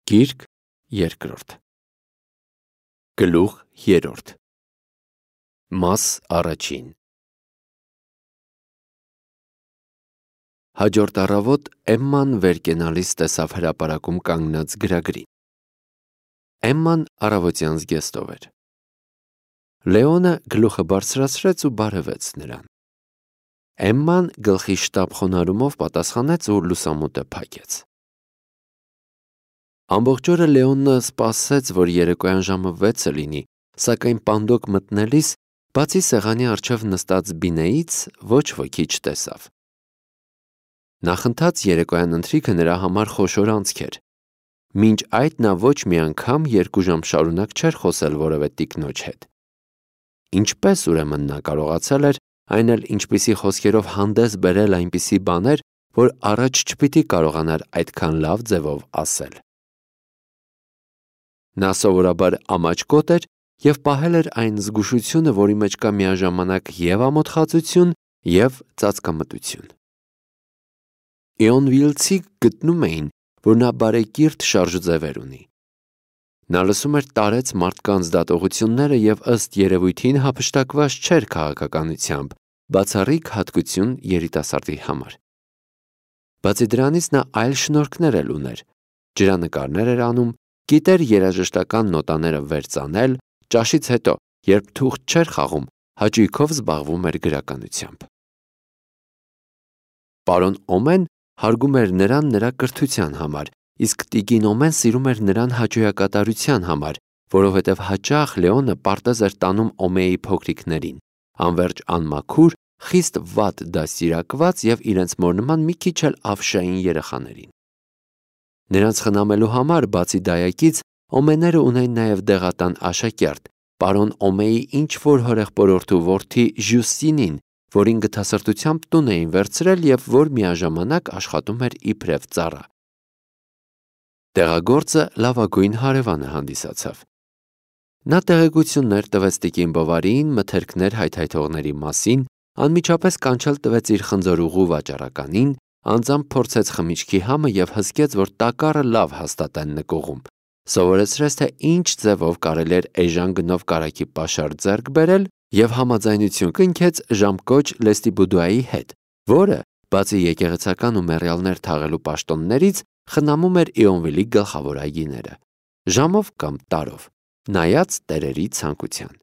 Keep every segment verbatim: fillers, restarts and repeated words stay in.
Գիրք երկրորդ Գլուխ երրորդ Մաս առաջին Հաջորդ առավոտ Էմման վեր կենալիս տեսավ հրապարակում կանգնած գրագրին։ Էմման առավոտյան զգեստով էր։ Լեոնը գլուխը բարձրացրեց ու բարևեց նրան։ Էմման գլխի շտապ խոնարհումով պատասխանեց ու լուսամուտը փակեց։ Ամբողջ օրը Լեոնը սպասեց, որ երեկոյան ժամը վեցը լինի, սակայն պանդոկ մտնելիս, բացի սեղանի առջև նստած Բինեից, ոչ ոքի չտեսավ։ Նախընթաց երեկոյան ընթրիքը նրա համար խոշոր անցք էր։ Մինչ այդ նա ոչ մի անգամ երկու ժամ շարունակ չէր խոսել որևէ տիկնոջ հետ։ Ինչպես ուրեմն նա կարողացել էր, այն էլ ինչպիսի խոսքերով հանդես բերել այնպիսի բաներ, որ առաջ չպիտի կարողանար այդքան լավ ձևով ասել։ Նա սովորաբար ամաչկոտ էր և պահել էր այն զգուշությունը, որի մեջ կա միաժամանակ և ամոթխածություն, և ծածկամտություն։ Իոնվիլցիք գտնում էին, որ նա բարեկիրթ շարժուձևեր ունի։ Նա լսում էր տարեց մարդկանց դատողությունները և ըստ երևույթին հափշտակված չէր քաղաքականությամբ, բացառիկ հատկություն երիտասարդի համար։ Բացի դրանից նա այլ շնորհքներ էլ ուներ, ջրանկարներ էր անում, գիտեր երաժշտական նոտաները վերծանել, ճաշից հետո, երբ թուղթ չէր խաղում, հաճույքով զբաղվում էր գրականությամբ։ Պարոն Օմեն հարգում էր նրան նրա կրթության համար, իսկ տիկին Օմեն սիրում էր նրան հաճոյակատարության համար, որովհետև հաճախ Լեոնը պարտեզ էր տանում Օմեի փոքրիկներին, անվերջ անմաքուր, խիստ վատ դաստիարակված և իրենց մոր նման մի քիչ էլ ավշային երեխաներին։ Նրանց խնամելու համար, բացի դայակից, Օմեները ունեն նաև դեղատան աշակերտ, պարոն Օմեի ինչ-որ հորեղբորորդու որդի Ժյուստինին, որին գթասրտությամբ տուն էին վերցրել և որ միաժամանակ աշխատում էր իբրև ծառա։ Տեղագործը լավագույն հարևանը հանդիսացավ։ Նա տեղեկություններ տվեց տիկին Բովարիին մթերքներ հայթայթողների մասին, անմիջապես կանչել տվեց իր խնձորուղու վաճառականին, անձամբ փորձեց խմիչքի համը և հսկեց, որ տակառը լավ հաստատ են նկուղում, սովորեցրեց, թե ինչ ձևով կարելի էր էժան գնով կարագի պաշար ձեռք բերել և համաձայնություն կնքեց ժամկոչ Լեստիբուդուայի հետ, որը, բացի եկեղեցական ու մեռյալներ թաղելու պաշտոններից, խնամում էր Իոնվիլի գլխավոր այգիները, ժամով կամ տարով, նայած տերերի ցանկության։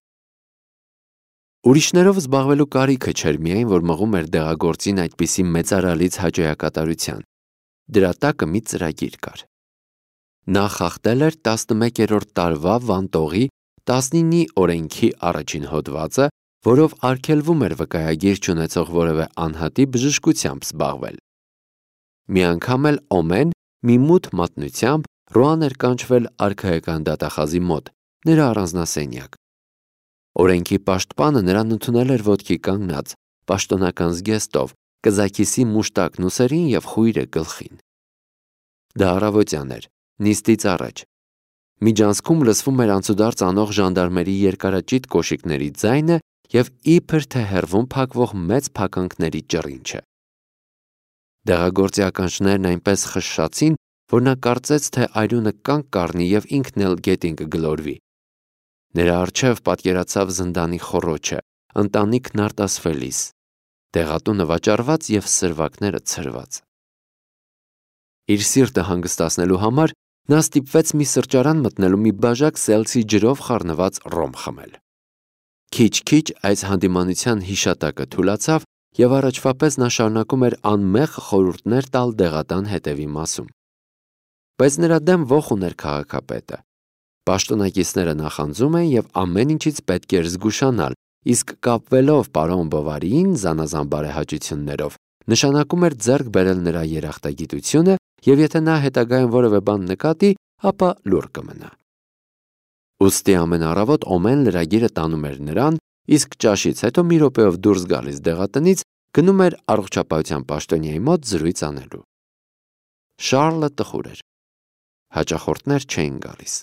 Ուրիշներով զբաղվելու կարիքը չէր միայն, որ մղում էր դեղագործին այդպիսի մեծարալից հաճոյակատարության, դրա տակը մի ծրագիր կար։ Նա խախտել էր տասնմեկերորդ տարվա Վանտողի տասնինի օրենքի առաջին հոդվածը, որով արգելվում էր վկայագիր չունեցող որևէ անհատի բժշկությամբ զբաղվել։ Մի անգամ էլ Օմեն մի մութ մատնությամբ Ռոան էր կանչվել արքայական դատախազի մոտ, նրա առանձնասենյակ։ Օրենքի պաշտպանը նրան ընդունել էր ոտքի կանգնած, պաշտոնական զգեստով, կզաքիսի մուշտակն ուսերին և խույրը գլխին։ Դա առավոտյան էր, նիստից առաջ։ Միջանցքում լսվում էր անցուդարձ անող ժանդարմերի երկարաճիտ կոշիկների ձայնը և իբր թե հեռվում փակվող մեծ փականքների ճռինչը։ Դեղագործի ականջներն այնպես խշշացին, որ նա կարծեց, թե արյունը կանգ կառնի և ինքն էլ գետին կգլորվի։ Նրա առջև պատկերացավ զնդանի խոռոչը, ընտանիքն արտասվելիս, դեղատունը վաճառված և սրվակները ցրված։ Իր սիրտը հանգստացնելու համար նա ստիպվեց մի սրճարան մտնելու մի բաժակ սելցի ջրով խառնված ռոմ խմել։ Քիչ-քիչ այս հանդիմանության հիշատակը թուլացավ և առաջվա պես նա շարունակում էր անմեղ խորհուրդներ տալ դեղատան հետևի մասում։ Բայց նրա դեմ ոխ ուներ քաղաքապետը։ Պաշտոնակիցները նախանձում են և ամեն ինչից պետք էր զգուշանալ, իսկ կապվելով պարոն Բովարիին զանազան բարեհաճություններով, նշանակում էր ձեռք բերել նրա երախտագիտությունը և եթե նա հետագայում որևէ բան նկատի, ապա լուռ կմնա։ Ուստի ամեն առավոտ Օմեն լրագիրը տանում էր նրան, իսկ ճաշից հետո մի րոպեով դուրս գալիս դեղատնից, գնում էր առողջապահության պաշտոնյայի մոտ զրույց անելու։ Շառլը տխուր էր։ Հաճախորդներ չէին գալիս։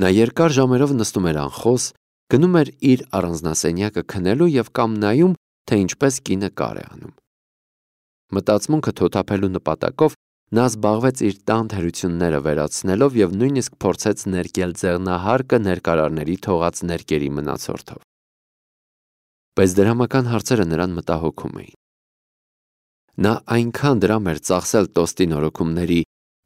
Նա երկար ժամերով նստում էր անխոս, գնում էր իր առանձնասենյակը քնելու և կամ նայում, թե ինչպես կինը կար է անում։ Մտածմունքը թոթափելու նպատակով նա զբաղվեց իր տան թերությունները վերացնելով և նույնիսկ փորձեց ներկել ձեղնահարկը ներկարարների թողած ներկերի մնացորդով։ Բայց դրամական հարցերը նրան մտահոգում էին։ Նա այնքան դրամ էր ծախսել տոստի նորոգումների,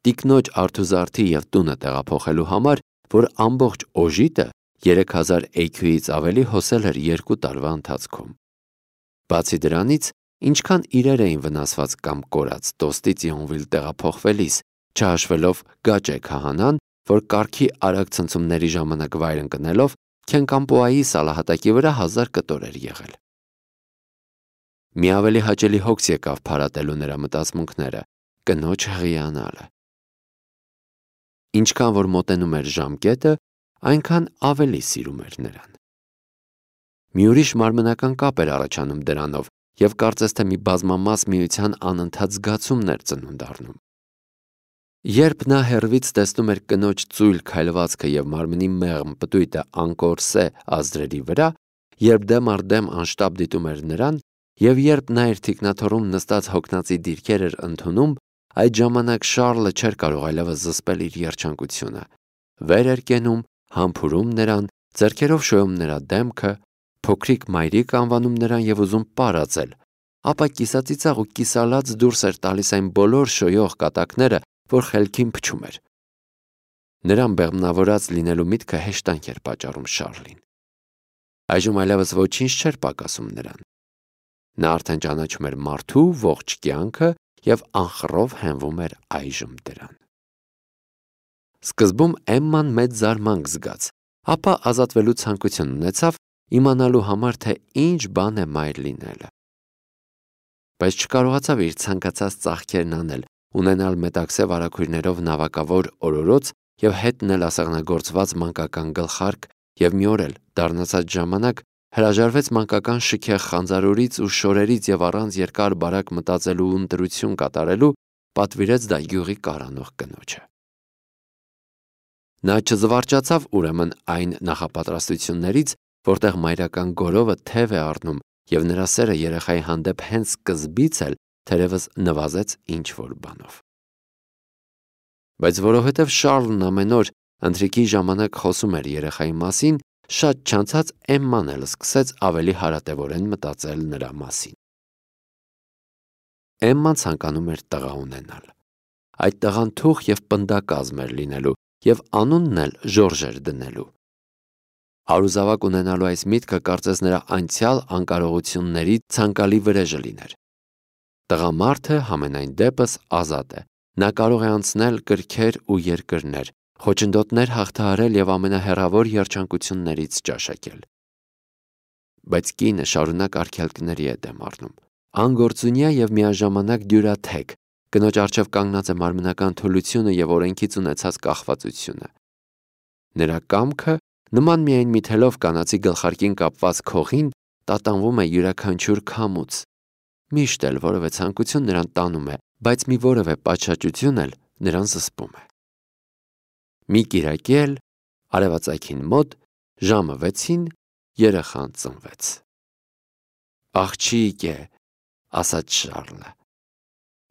տիկնոջ արթուզարդի և տունը տեղափոխելու համար, որ ամբողջ օժիտը երեք հազար էյքյուից ավելի հոսել էր երկու տարվա ընթացքում։ Բացի դրանից, ինչքան իրեր էին վնասված կամ կորած տոստից Յոնվիլ տեղափոխվելիս, չհաշվելով Գաճե քահանան, որ կառքի արագ ցնցումների ժամանակ վայր ընկնելով Քենկամպոայի սալահատակի վրա հազար կտոր էր եղել։ Մի ավելի հաճելի հոգս եկավ փարատելու նրա մտածմունքները՝ կնոջ հղիանալը։ Ինչքան որ մոտենում էր ժամկետը, այնքան ավելի սիրում էր նրան։ Մի ուրիշ մարմնական կապ էր առաջանում դրանով և կարծես թե մի բազմամաս միության անընդհատ զգացումն էր ծնունդ առնում։ Երբ նա հեռվից տեսնում էր կնոջ ծույլ քայլվածքը և մարմնի մեղմ պտույտը անկորսե ազդրերի վրա, երբ դեմ առ դեմ անշտապ դիտում էր նրան, և երբ նա իր թիկնաթոռում նստած հոգնածի դիրքեր էր ընդունում, այդ ժամանակ Շառլը չէր կարող այլևս զսպել իր երջանկությունը։ Վեր էր կենում, համբուրում նրան, ձեռքերով շոյում նրա դեմքը, փոքրիկ մայրիկ անվանում նրան և ուզում պարածել, ապա կիսածիծաղ ու կիսալաց դուրս էր տալիս այն բոլոր շոյող կատակները, որ խելքին փչում էր։ Նրան բեղմնավորած լինելու միտքը հեշտանք էր պատճառում Շառլին։ Այժմ այլևս ոչինչ չէր պակասում նրան։ Նա արդեն ճանաչում էր մարդու ողջ կյանքը և անխռով հենվում էր այժմ դրան։ Սկզբում Էմման մեծ զարմանք զգաց, ապա ազատվելու ցանկություն ունեցավ իմանալու համար, թե ինչ բան է մայր լինելը։ Բայց չկարողացավ իր ցանկացած ծաղկերն անել, ունենալ մետաքսե վարագույրներով նավակավոր օրորոց և հետնել ասեղնագործված մանկական գլխարկ և մի օր էլ դառնացած ժամանակ հրաժարվեց մանկական շքեղ խանձարուրից ու շորերից և առանց երկար բարակ մտածելու ու ընտրություն կատարելու պատվիրեց դա յուղի կառանող կնոջը։ Նա չզվարճացավ ուրեմն այն նախապատրաստություններից, որտեղ մայրական գորովը թև է առնում և նրա սերը երեխայի հանդեպ հենց սկզբից էլ թերևս նվազեց ինչ-որ բանով։ Բայց որովհետև Շառլն ամեն օր ընթրիքի ժամանակ խոսում էր երեխայի մասին, շատ չանցած Էմման էլ սկսեց ավելի հարատևորեն մտածել նրա մասին։ Էմման ցանկանում էր տղա ունենալ։ Այդ տղան թուխ և պնդակազմ էր լինելու և անունն էլ Ժորժ էր դնելու։ Արուզավակ ունենալու այս միտքը կարծես նրա անցյալ անկարողությունների ցանկալի վրեժը լիներ։ Տղամարդը համենայն դեպս ազատ է։ Նա կարող է անցնել կրքեր ու երկրներ, խոչընդոտներ հաղթահարել և ամենահեռավոր երջանկություններից ճաշակել։ Բայց կինը շարունակ արգելքների է դեմ առնում։ Անգործունյա և միաժամանակ դյուրաթեք, կնոջ առջև կանգնած է մարմնական թուլությունը և օրենքից ունեցած կախվածությունը։ Նրա կամքը, նման միայն մի թելով կանացի գլխարկին կապված քողին, տատանվում է յուրաքանչյուր քամուց։ Միշտ էլ որևէ ցանկություն նրան տանում է, բայց մի որևէ պատշաճություն էլ նրան զսպում է։ Մի կիրակի էլ, արևածագին մոտ, ժամը վեցին երեխան ծնվեց։ «Աղջիկ է», ասաց Շառլը։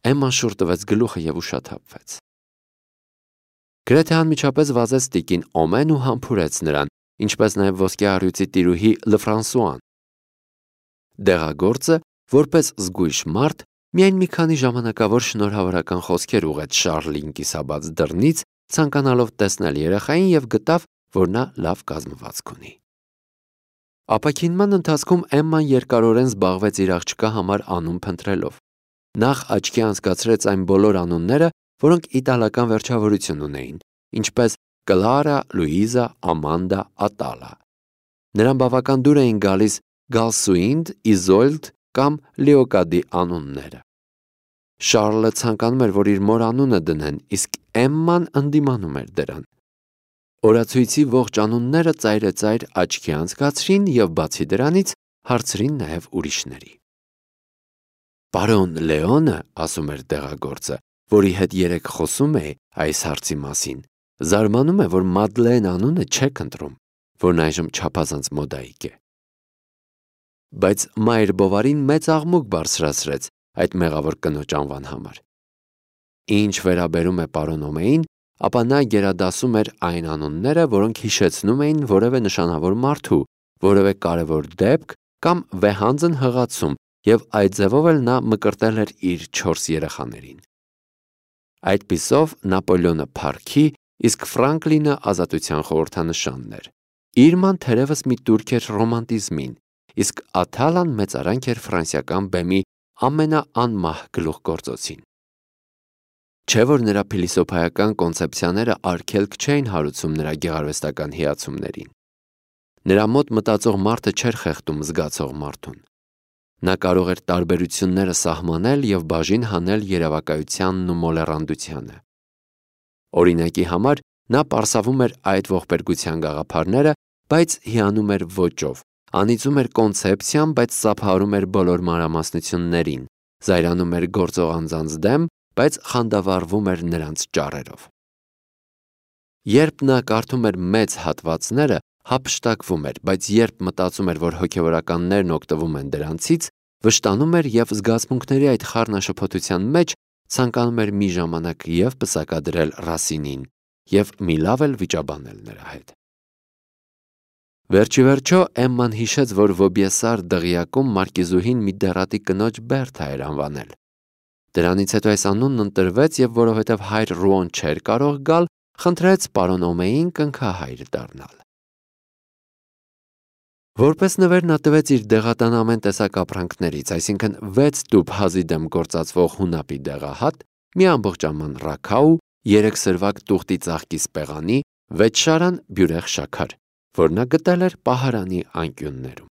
Էմման շուռ տվեց գլուխը և ուշաթափվեց։ Գրեթե անմիջապես վազեց տիկին Օմեն ու համբուրեց նրան, ինչպես նաև ոսկե առյուծի տիրուհի Լըֆրանսուան։ Դեղագործը, որպես զգույշ մարդ, միայն մի քանի ժամանակավոր շնորհավորական խոսքեր ուղղեց Շառլին կիսաբաց դռնից, ցանկանալով տեսնել երեխային և գտավ, որ նա լավ կազմվածք ունի։ Ապաքինման ընթացքում Էմման երկարորեն զբաղվեց իր աղջկա համար անուն փնտրելով։ Նախ աչքի անցկացրեց այն բոլոր անունները, որոնք իտալական վերջավորություն ունեին, ինչպես Կլարա, Լուիզա, Ամանդա, Ատալա։ Նրան բավական դուր էին գալիս Գալսուինդ, Իզոլդ կամ Լեոկադի անունները։ Շառլը ցանկանում էր, որ իր մոր անունը դնեն, իսկ Էմման ընդդիմանում էր դրան։ Օրացույցի ողջ անունները ծայրեծայր աչքի անցկացրին և բացի դրանից հարցրին նաև ուրիշների։ Պարոն Լեոնը, ասում էր դեղագործը, որի հետ երեկ խոսում էի այս հարցի մասին, զարմանում է, որ Մադլեն անունը չեք ընտրում, որն այժմ չափազանց մոդայիկ է։ Բայց մայր Բովարին մեծ աղմուկ բարձրացրեց այդ մեղավոր կնոջ անվան համար։ Ինչ վերաբերում է պարոն Օմեին, ապա նա գերադասում էր այն անունները, որոնք հիշեցնում էին որևէ նշանավոր մարդու, որևէ կարևոր դեպք կամ վեհանձն հղացում, եւ այդ ձևով էլ նա մկրտել էր իր չորս երեխաներին։ Այդպիսով Նապոլեոնը փառքի, իսկ Ֆրանկլինը ազատության խորհրդանշանն էր։ Իրման թերևս մի տուրք էր ռոմանտիզմին, իսկ Աթալան մեծարանք էր ֆրանսիական բեմի ամենաանմահ գլուխգործոցին։ Չէ՞ որ նրա փիլիսոփայական կոնցեպցիաները արգելք չէին հարուցում նրա գեղարվեստական հիացումներին։ Նրա մոտ մտածող մարդը չէր խեղդում զգացող մարդուն։ Նա կարող էր տարբերությունները սահմանել եւ բաժին հանել երևակայությանն ու մոլեռանդությանը։ Օրինակի համար նա պարսավում էր այդ ողբերգության գաղափարները, բայց հիանում էր ոճով, անիծում էր կոնցեպցիան, բայց սափահարում էր բոլոր մանրամասնություններին, զայրանում էր գործող անձանց դեմ, բայց խանդավառվում էր նրանց ճառերով։ Երբ նա կարդում էր մեծ հատվածները, հափշտակվում էր, բայց երբ մտածում էր, որ հոգևորականներն օգտվում են դրանցից, վշտանում էր եւ զգացմունքների այդ խառնաշփոթության մեջ ցանկանում էր մի ժամանակ եւ պսակադրել Ռասինին եւ մի լավ էլ վիճաբանել նրա հետ։ Վերջիվերջո Էմման հիշեց, որ Վոբիեսար դղյակում մարկիզուհին մի դեռատի կնոջ Բերթա էր անվանել։ Դրանից հետո այս անունն ընտրվեց եւ որովհետեւ հայր Ռուոն չէր կարող գալ, խնդրեց պարոն Օմեին կնքահայր դառնալ։ Որպես նվեր նա տվեց իր դեղատան ամեն տեսակ ապրանքներից, այսինքն վեց տուփ հազի դեմ գործածվող հունապի դեղահատ, մի ամբողջ աման ռաքաու, երեք սրվակ տուղտի ծաղկի սպեղանի, վեց շարան բյուրեղ շաքար, որ նա գտել էր պահարանի անկյուններում։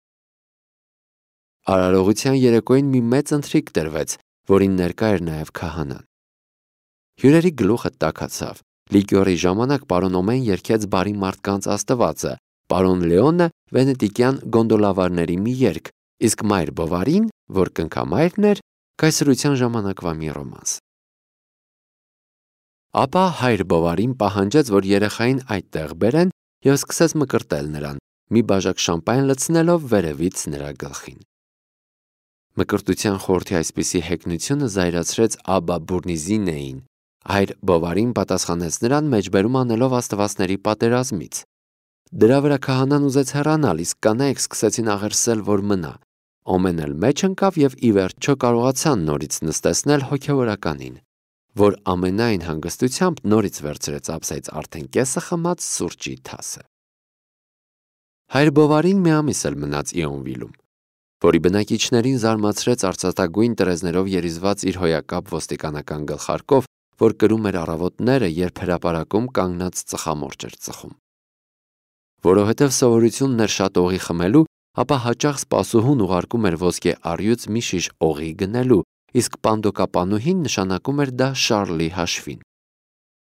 Արարողության երեկոյին մի մեծ ընթրիք տրվեց, որին ներկա էր նաև քահանան։ Հյուրերի գլուխը տաքացավ։ Լիկյորի ժամանակ պարոն Օմեն երգեց բարի մարդկանց աստվածը, պարոն Լեոնը վենետիկյան գոնդոլավարների մի երգ, իսկ մայր Բովարին, որ կնքամայրն էր, կայսրության ժամանակվա մի ռոմանս։ Ապա հայր Բովարին պահանջեց, որ երեխային այդտեղ բերեն եւ սկսեց մկրտել նրան, մի բաժակ շամպայն լցնելով վերևից նրա գլխին։ Մկրտության խորհրդի այսպիսի հեգնությունը զայրացրեց Աբա Բուրնիզինեին։ Հայր Բովարին պատասխանեց նրան մեջբերում անելով աստվածների պատերազմից։ Դրա վրա քահանան ուզեց հեռանալ, իսկ կանայք սկսեցին աղերսել, որ մնա։ Օմեն էլ մեջ ընկավ եւ ի վերջո կարողացան նորից նստեցնել հոգևորականին, որ ամենայն հանգստությամբ նորից վերցրեց ափսեից արդեն կեսը խմած սուրճի թասը։ Հայր Բովարին մի ամիս էլ մնաց Իոնվիլում, որի բնակիչներին զարմացրեց արծաթագույն տրեզներով երիզված իր հոյակապ ոստիկանական գլխարկով, որ կրում էր առավոտները, երբ հրապարակում կանգնած ծխամորճ էր ծխում։ Որովհետև սովորությունն էր շատ օղի խմելու, ապա հաճախ սպասուհուն ուղարկում էր ոսկե առյուծ մի շիշ օղի գնելու, իսկ պանդոկապանուհին նշանակում էր դա Շարլի հաշվին։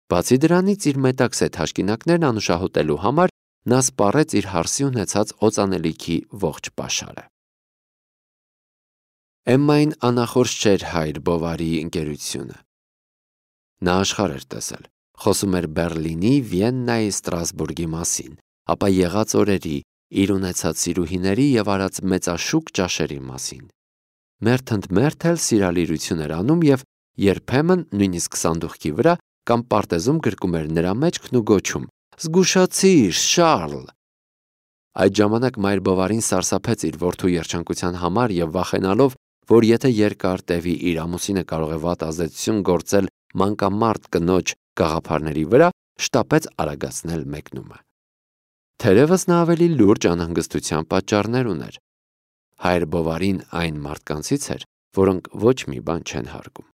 Բացի դրանից իր մետաքսետ հաշկինակներն անուշահոտելու համար նա սպառեց իր հարսի ունեցած օծանելիքի ողջ պաշարը։ Էմմային անախորժ չէր հայր Բովարիի ընկերությունը։ Նա աշխարհ էր տեսել, խոսում էր Բեռլինի, Վիեննայի, Ստրասբուրգի մասին, ապա եղած օրերի, իր ունեցած սիրուհիների եւ արած մեծաշուկ ճաշերի մասին։ Մերթընդմերթ էլ սիրալիրություն էր անում եւ երբեմն նույնիսկ սանդուղքի վրա կամ պարտեզում գրկում էր նրա մեջքն ու գոչում. «Զգուշացիր, Շարլ»։ Այդ ժամանակ մայր Բովարին սարսափեց իր որդու երջանկության համար եւ վախենալով, որ եթե երկար տևի իր ամուսինը կարող է վատ ազդեցություն գործել մանկամարտ կնոջ գաղափարների վրա, շտապեց արագացնել մեկնումը։ Թերևս նա ավելի լուրջ անհանգստության պատճառներ ուներ։ Հայր Բովարին այն մարդկանցից էր, որոնք ոչ մի բան չեն հարգում։